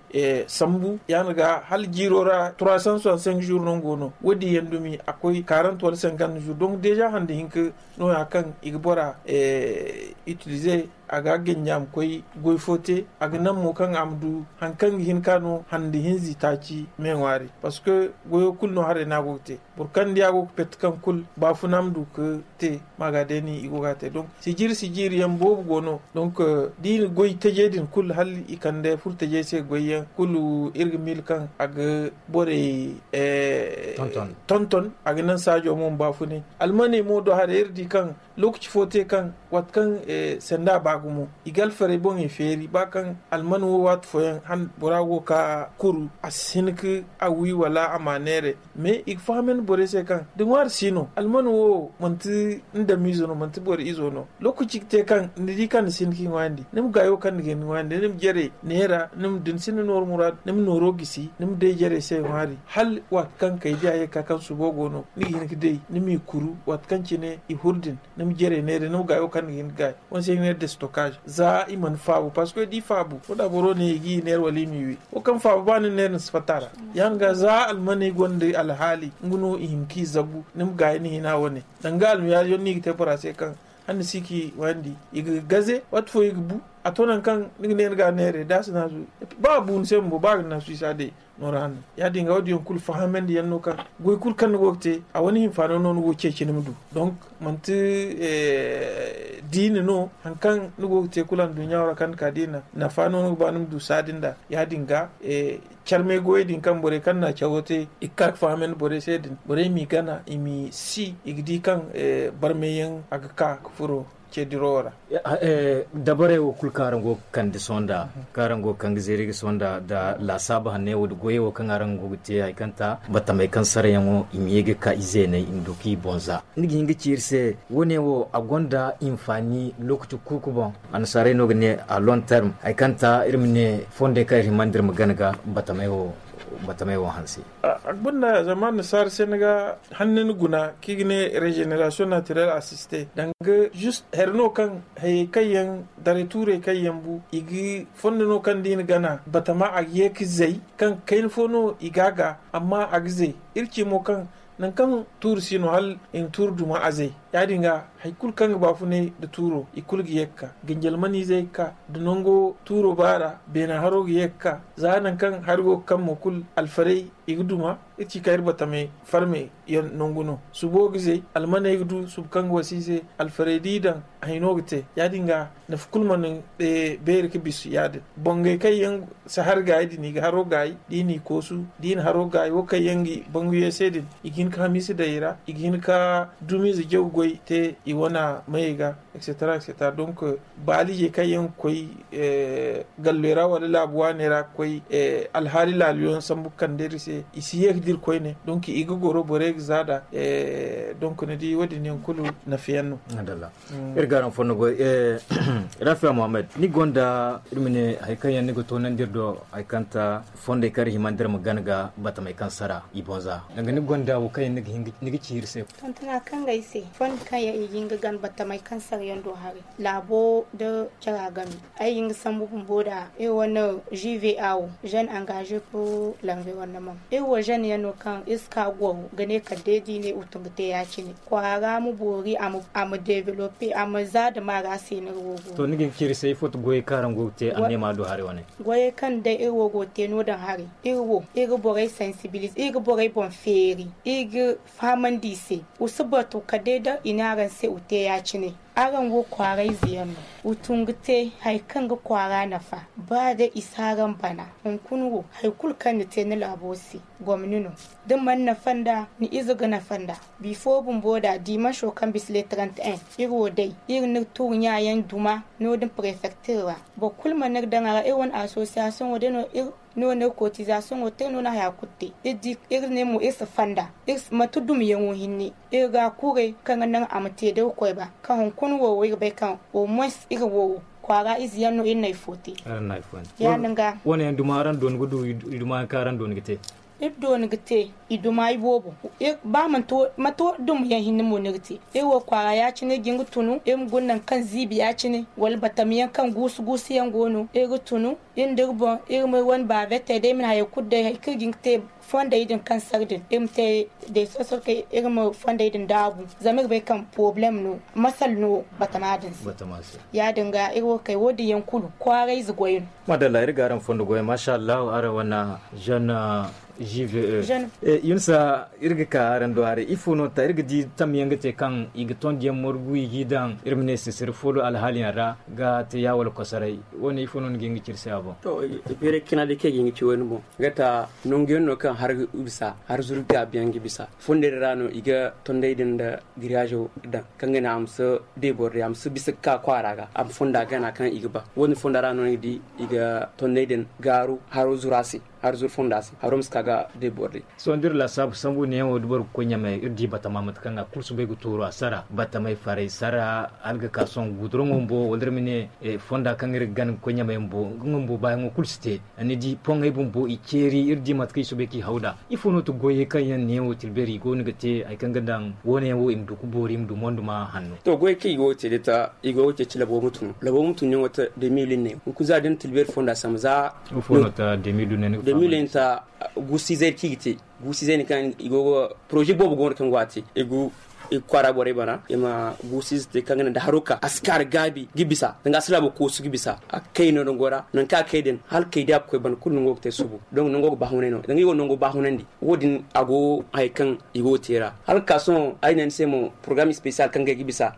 sambu ya- din ga hala jiiro ra trois cent soixante-cinq jours no nga go no wo- din yaŋ dumi a koy quarante wala cinquante jours donc deja hande hinka nooya kaŋ i ga bora utilize a ga a ganji a ma koy goy fo te. A ga naŋ mo kaŋ a ma du hari kaŋ ga hin ka no hande hinza itaaci me ŋwaari. Parce que goyo kulu no haray no a go ga te. Boro kaŋ ni di a go ga pet kaŋ kulu baafuna ma du ga te. Maaga day no i go ga a te donc sijiiri sijiiri yaŋ boobo go no. Donc da i na goy taje din kulu hala i kande furo tajey se goy yaŋ kulu iri ga miila kaŋ a ga borey tonton a ga naŋ saajo mo ma baafunay. Almaney mo do haray iri di kaŋ lookaci fo te kaŋ waati kaŋ sanda ba gumo i ga alfarey boŋey feeri ba kaŋ alman wo waati fooyaŋ bora go ga ka kuru a si hin ka a wi wala a ma neeray. Mais i ga fahamandi borey se kaŋ da ŋwaari si no alman wo manti ni damiize no manti boro izo no. Lookaci ga te kaŋ ni di kaŋ ni si hin ka i ŋwaayandi ni ma gaayo kaŋ ni ga hin ga ŋwaayandi ni ma jare neera ni ma da ni sinda nooru muraadu ni ma nooro gisi ni ma day jarey se ŋwaari hala waati kaŋ kay diya ye ga ka kaŋ subo go no ni ga hin ga day ni m'i kuru waati kaŋ cine i huru din. Ni ma jarey neera ni ma gaayo kaŋ ni ga hin ga gaay. Wo- din se i ga ne destokaaze za i mana faabu parce que da i faabu wo- da boro ne i ga i neera wala i m'i wi. Wo kaŋ faabu ba ni neera ni si fatta a ra. Ya- din ga za almaney gonda alhaali nga no i hin ka i zabu ni ma gaayi ni hina wane. Danga almiyaari yaŋ no i ga te bora se kaŋ hala ni si ka i wayandi i ga gaze waati fo i ga bu. A to nangu kaŋ ni ga ne ni ga a neeray da a si naasu ba a bu ni se bumbo ba a ga naasu i si a day. Noora hanno ya- din ga wo- din yaŋ kulu fahamandi yaŋ no kaŋ goy kulu kaŋ ni go ga te a wane hinfaano no ni go ga ceeci ni ma du. Donc manti diina no hari kaŋ ni go ga te kulu anduɲɲa wo ra kaŋ ni ka diina nafa no ni ga ba ni ma du saadi nd'a. Ya- din ga carmay goyey din kaŋ borey kaŋ na a cawo te i ga ka ga fahamandi borey se din borey m'i gana i m'i si i ga di kaŋ barmay yaŋ a ga ka ga furo ce diro wo ra. Dabarey wo kulu kaŋ araŋ go ga kande sohõ nda kaŋ araŋ go ga kande zeeri ga sohõ nda nda laasaabu hanney wo nda goyey wo kaŋ araŋ go ga te hari kaŋ ta batamey kaŋ sarayaŋo i ma ye ga ka i zeeney i ma du kaŋ i boŋ za. Ni ga hin ga ci iri se wo- ne wo a gonda hinfaani lookaci kuuku boŋ. Annasaarey no ga ne a long terme hari kaŋ ta iri ma ne fondey kaŋ iri hima nda iri ma gana ga batamey wo hanse. A ga banda zama annasaara se ni ga hanna ni guna kaŋ i ga ne regeneration naturelle assiste danga juste hari no kaŋ hayey kaŋ yaŋ daray tuurey kaŋ yaŋ bu i ga fondo no kaŋ da i na gana batama a ga ye ga zay kaŋ kayna fo no i ga a ga amma a ga zay. Iri ci mo kaŋ nangu kaŋ tuuru si no hala i na tuuru duma a zay. Ya- din ga hari kulu kaŋ ga baafunay nda tuuro i kulu ga ye ga ka ganjal maniizey ga ka da nango tuuro baara beena haro ga ye ga ka za nangu kaŋ hari go ga kaŋ mo kulu alfarey i ga duma. Iri ci kaŋ iri batamey farme yaŋ nangu no subo ga zay almaney ga du subu kaŋ ga wasa i se alfarey da i daŋ a hino ga te. Ya- din ga nafa kulu mana beeri ga bisa ya- din bangey kaŋ yaŋ si hari gaayi din i ga haro gaayi da i n'i koosu da i na haro gaayi wo kaŋ yaŋ ga bangu ye se din i ga hin ga hamiisa daŋ i ra i ga hin ga dumiize jaw goy te i wane mayey ga. Etc. Donc baaliijey kaŋ yaŋ ga koy galloy ra wala laabu waaney ra ga koy alhaali laalu yaŋ sambu ga kande iri se i si ye ga dira koyne donc i ga goro borey ga za nd'a. Donc ni di wo- din yaŋ kulu nafa yaŋ no. Iri ga araŋ fondo goy. Rafiya muhammad ni gonda iri ma ne hari kaŋ yaŋ ni ga toonandi iri do hari kaŋ ta fondey kaŋ iri hima nda iri ma gana ga batamey kaŋ sara i boŋ za danga ni gonda wo kaŋ yaŋ ni ga ci iri se. Tontona kaŋ ga ay se fondo kaŋ yaŋ i ga hin ga gana batamey kaŋ sara yaŋ do haray laabo nda cara game. Ay ga hin ga sambu bumbo nd'a iri wane juve awo jeune engagé pour l'environnement iri wo jeune yaŋ no kaŋ iri si ka goro ga ne kala day da i ne iri tun ga te ya- cine kwaara ma boori a ma développé a ma za dama ra se no iri wo go. To ni ga hin ga ci iri se ifo ti goyey kaŋ araŋ go ga te annema do haray wane? Goyey kaŋ day iri wo go ga te no- din haray iri wo iri ga borey sensibilisé iri ga borey boŋ feeri. I ga fahamandi i se, wa si batu kala day da i ne araŋ se wa te ya- cine. Araŋ wo kwaarayze yaŋ no. Wa tun ga te hari kaŋ ga kwaara nafa. Ba day i si araŋ bana, hunkuna wo hari kulu kaŋ ni te ni laabo se, gomni no. Da ni mana nafa nd'a, ni ize ga nafa nd'a. Bifo bumbo da dimanso kaŋ bisa le trente et un, iri wo day iri na tuuri ɲa yaŋ duma no- din prefektir ra. Boro kulu mana iri daŋ a ra. Iri wane asosiyasiyoŋo day no iri no no iri kotizasoŋo te no na haya kulu te. Iri ne mo iri si fonda, manti dumiyaŋo hinne. Iri ga a kuuray kaŋ ga naŋ a ma te da iri koy ba, kaŋ hunkuna wo wo iri bay kaŋ au moins iri wo kwaara ize yaŋ no iri na hari fo te. Ya- din ga wane yaŋ duma araŋ dooni ga du i duma yaŋ kaŋ araŋ dooni ga te? Iri dooni ga te i duma iboobo. Ba manti wo dumiyaŋ hinne mo no iri te. Iri wo kwaara ya- cine iri ga hin ga tunu iri ma guna nangu kaŋ ziibi ya- cine, wala batamiyaŋ kaŋ guusu guusu yaŋ go no iri ga tunu. Iri nda iri boŋ iri ma iri wane baabetey day iri ma ne hayey kulu day hari kaŋ iri ga hin ga te fondey din kaŋ sara din iri ma te day sohõ sohõ kay iri ma fondey din daabu. Zama iri bay kaŋ porobalem no, masal no batama din se. Ya- din ga iri wo kay wo- din yaŋ kulu kwaarayze goy no. Maadalla iri ga araŋ fondo goy maasa allahu araŋ wane jeune. Jive. Yunsa, iri ga ka araŋ do haray ifo no ta iri ga di tamyaŋ ga te kaŋ i ga tondiyaŋ morgu i g'i daŋ iri ma ne sisiri foolo alhaaliyaŋ ra ga te ya wala kosoray? Wo- ne ifo no ni ga hin ga ci iri se a boŋ? To, beeray cina day kaŋ i ga hin ga ci wo- ne boŋ, ga ta nanguyaŋ no kaŋ har ga bisa har zuru gaabiyaŋ ga bisa. Fondey din ra no i ga tondey din nda giriyaazo daŋ kaŋ ga ne a ma si de boro day a ma si bisa ga ka kwaara ga a ma fonda gana kaŋ i ga ba. Wo- din fonda ra no ni ga di i ga tondey din gaaru haro zuru a se, haro zuru fonda se haro ma si ka ga de boro day. Sohõ da iri laasaabu sambu neeyaŋo da boro ga koy ɲamey iri di batama mate kaŋ a kulu soobay ga tuuru a sara batamey faray sara hala ga ka sohõ guduraŋo bumbo wala iri ma ne fonda kaŋ iri ga gana ga koy ɲamey bumbo nga bumbo baayaŋo kulu si te. Ni di poŋey bumbo i ceeri iri di mate kaŋ i soobay kaŋ i haw nd'a. Ifo no ti goyey kaŋ yaŋ neeyaŋo tilbeeri i go no ga te hari kaŋ ga daŋ wo- ne yaŋ wo i ma du ga boori i ma du monduma hanno? To goyey kaŋ i go ga te day ta i go ga ceeci labo ma tun labo ma tun yaŋo ta deux mille ne hunkuna za da ni tilbeeri fonda sambu za. Ifo no ta deux mille ne ni ga deux mille ne ta guusu izey kaŋ i ga te guusu izey no kaŋ i go ga poroze boobo go no kaŋ go a te i ga kwaara borey bana i ma guusu ize te kaŋ ga naŋ da haro ka a si ka nda gaabi ga bisa danga a si laabo koosu ga bisa a ga kay no nango ra nangu kaŋ a ga kay din hala kay day a ga koy bana kulu nango ga te subu. Donk nango ga baahunay no danga i go nango baahunandi wo- din a go hari kaŋ i go ga te ra hala ga ka sohõ ay ne ni se mo porogaram ispeesiyal kaŋ ga ay ga bisa.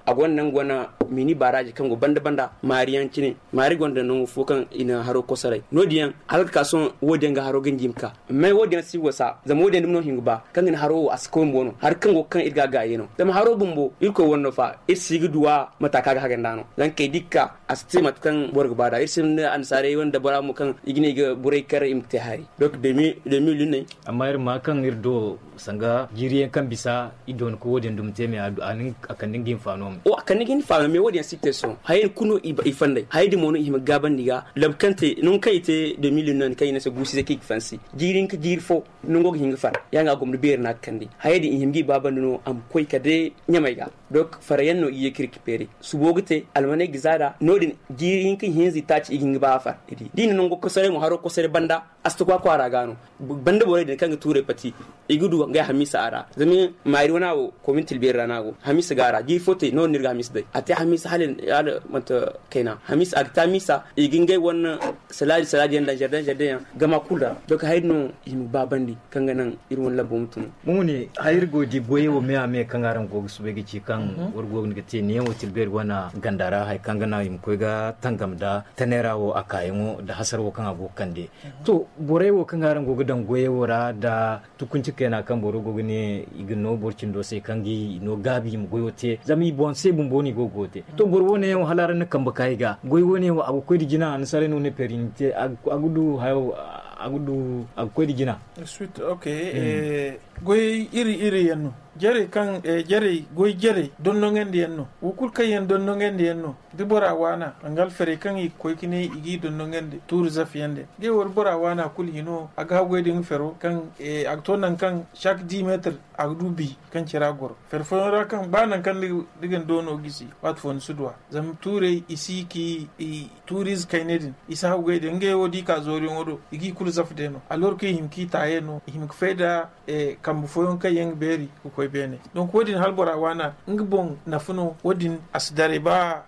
A gonda nangu wane mini baaraaji kaŋ go banda banda maari yaŋ cine maari gonda nangu fo kaŋ i na haro kosoray no- din yaŋ hala ga ka sohõ wo- din yaŋ ga haro ganji ma ka. Mais wo- din yaŋ si wasa zama wo- din yaŋ dumi no hin ga ba kaŋ ga ni haro wo a si koy bumbo no hari kaŋ go ga kaŋ iri ga a gaayi no zama haro bumbo irkoy wane no fa iri si ga du a mate a ka ga haga nd'a no zama kay da i ga ka a si te mate kaŋ boro ga ba nd'a iri si hin da annasaarey wane dabara mo kaŋ i ga ne i ga borey kar i ma ga te hari. Donk deux mille ne. Amma iri ma kaŋ iri do sanga jiiri yaŋ kaŋ bisa i doona ka wo- din dumi te me a kande nga hinfaano me. Wo- a kande nga hinfaano me wo- din yaŋ si ga te sohõ hayey din kulu no i fandey hayey din mo no i hima ga gaabandi ga labu kaŋ te nangu kaŋ i te deux mille no ni kaŋ i ne se guusu ize kaŋ i ga fansi jiiri hinka jiiri fo nango ga hin ga far. Ya nga gomni beeri no a ga kande hayey din i hima ga i baabandi no a ma koy kala day ɲamey ga. Donk fara yaŋ no i ye ka iri ga feeri subo ga te almaney ga za nd'a no- din jiiri hinka ihinza itaaci i ga hin ga ba a far. Da i na nango kosoray mo haro kosoray banda a si ta kwa kwaara ga no. Banda borey din kaŋ ga tuurey pati i ga du ngey hamiisa a ra zama maari wana wo komintil beeri ra no a go hamiisa ga a ra jiiri fo te no- din no iri ga hamiisa day a te hamiisa hala manti kayna hamiisa a ga te hamiisa i ga ngey wane salaaji salaaji yaŋ daŋ zardin zardin yaŋ gama kulu ra. Donk hari no i ma baabandi kaŋ ga naŋ iri wane lambo ma tun. Mo wane hari iri go ga di goyey wo me a me kaŋ araŋ go ga soobay ga ci kaŋ war go ga te neeyaŋ wo tilbeeri wane ganda ra hari kaŋ ga naŋ i ma koy ga tangam nda tanay ra wo a kaayaŋo nda hasara wo kaŋ a go ga kande. To borey wo kaŋ araŋ go ga daŋ goyey wo ra nda tukunci kayna kaŋ boro go ga ne i ga no boro cindo se kaŋ ga i no gaabi i ma goyo te zama i boŋ se bumbo no i go ga goyo te. To boro wo- ne yaŋ wo hala araŋ na kambe ka i ga goy wo- ne yaŋ wo a ga koy nda jina annasaarey no ne peeri i ma te a ga du hayo a ga du a ga koy nda jina. Goy iri iri yaŋ no jarey kaŋ jarey goy jarey dondoŋandi yaŋ no wo kulu kaŋ yaŋ dondoŋandi yaŋ no. Da bora waana nga alferey kaŋ i ga koy ga ne i g'i dondoŋandi tuuri zafe yaŋ din ngey wo da bora waana kulu hino a ga haggoy da nga fero kaŋ a ga to nangu kaŋ chaque dix metre a ga du bi kaŋ cira goro. Fere fooyaŋ ra kaŋ ba nangu kaŋ ni ga ni doono gisi waati fo ni si du a zama tuurey i si ga i tuuriize kayney din i si haggoy da ngey wo da i ka zooriyaŋo do i g'i kulu zafe day no alors kaŋ i hima kaŋ i taayey no i hima ga fay nda kambe fooyaŋ kaŋ yaŋ ga beeri ga koy. Beene. Donc wo- din hala bora waana nga boŋ nafa no. Wo- din a si daray ba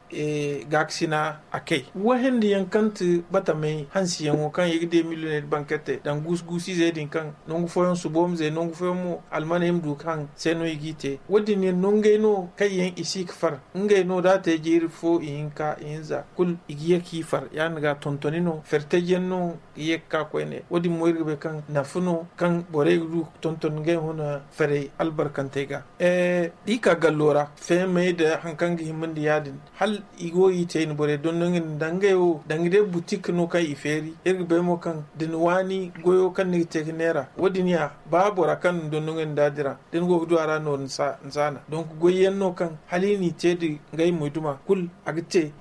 gaakasina a kay. Wahindi yaŋ kaŋ ti batamey hansi yaŋo kaŋ i ga de miliyoney da bankante daŋ guusu guusu izey din kaŋ nangu fooyaŋ suboomizey nangu fooyaŋ mo almaney ma du ga haŋ se no i g'i te. Wo- din yaŋ nongey no kaŋ yaŋ i si ga far ngey no da a te jiiri fo ihinka ihinza kulu i ga ye k'i far ya- din ga tontoni no fertayyaŋ no ga ye ga ka koyne. Wo- din mo iri ga bay kaŋ nafa no kaŋ borey ga du ga tonton ngey huna ferey albarkantey ga. Da i ka gallo ra feemey nda hari kaŋ ga hima nda ya- din hala i go ga i te i na borey dondon i na daŋ ngey wo daŋ ga day butik no kaŋ i feeri iri ga bay mo kaŋ da ni waani goyo kaŋ ni ga te ga neera wo- din ya ba bora kaŋ ni dondon i na da dira da ni go ga du a ra no ni si a na. Donk goyyaŋ no kaŋ hala i n'i te nda ngey moyduma kulu a ga te.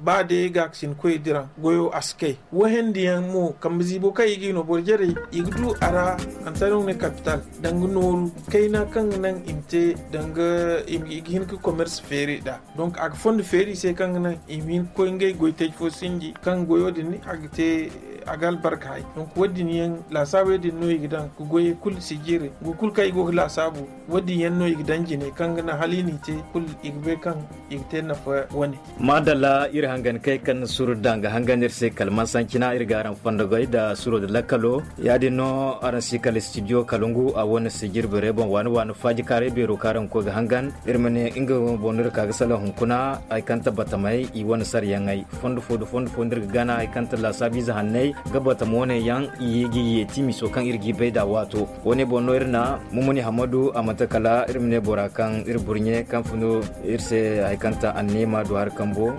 Ba day gaakasin koy diraŋ goyo a si kay. Wahindi yaŋ mo kambe ziibo kaŋ i ga i no boro jarey i ga du a ra. Antarew ne kapital danga nooru kayna kaŋ ga naŋ i ma te danga i ga hin ga komers feeri nd'a. Donk a ga fondo feeri i se kaŋ ga naŋ i ma hin ga koy ngey goytaji fo sinji kaŋ goyo din a ga te a ga albarka hay. Donk wo- din yaŋ laasaabey din no i ga daŋ ga goyey kulu sijire ngu kulu kaŋ i go ga laasaabu. Wo- din yaŋ no i ga daŋ jine kaŋ ga naŋ hala i n'i te kulu i ga bay kaŋ i ga te nafa wane. Maadalla iri hangan kay kaŋ na suro daŋ ga hangan iri se kala mansancina iri ga araŋ fondo goy nda suro nda lakkalo. Ya- din no araŋ si kala studio kala ngu a wane sijiri beerey boŋ waani waani faaji kaaray beero kaŋ araŋ ga koy ga hangan iri ma ne nga boŋ no iri ka ga salaŋ hunkuna. Hari kaŋ ti batamey i wane sarayaŋey fondo fo nda fondo fo nda iri ga gana hari kaŋ ti laasaabu ize hanney ga batama wane yaŋ i ga yeeti miso kaŋ iri g'i bay nd'a waato. Wo- ne boŋ no iri na mumuni hammadu a manti kala iri ma ne bora kaŋ iri burɲe kaŋ fun iri se hari kaŋ ti anneema du hari kambo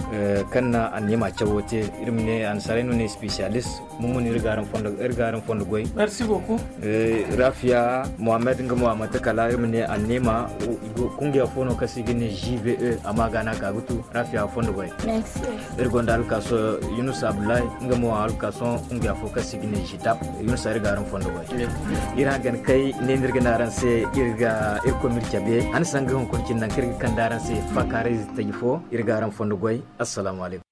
kaŋ na anneema cawo te. Iri ma ne annasaarey no ne spesiyalis. Mumuni iri ga araŋ fondo goy. Merci beaucoup. Rafiya mohammed nga mo a manti kala iri ma ne anneema kungiya fo no kaŋ se i ga ne g v e amma a ga no a ka ga tu. Rafiya fondo goy. Iri gonda alkaaso yunus abdullahi nga mo alkaaso kungiya fo kaŋ se i ga ne g tap. Yunus iri ga araŋ fondo goy. Iri hangan kay ne no iri ga ne araŋ se iri ga iri koy ma iri cabe han sanga hunkuna cine nangu kaŋ iri ga kande araŋ se faakaaray taji fo. Iri ga araŋ fondo goy. Assalamu alaykum.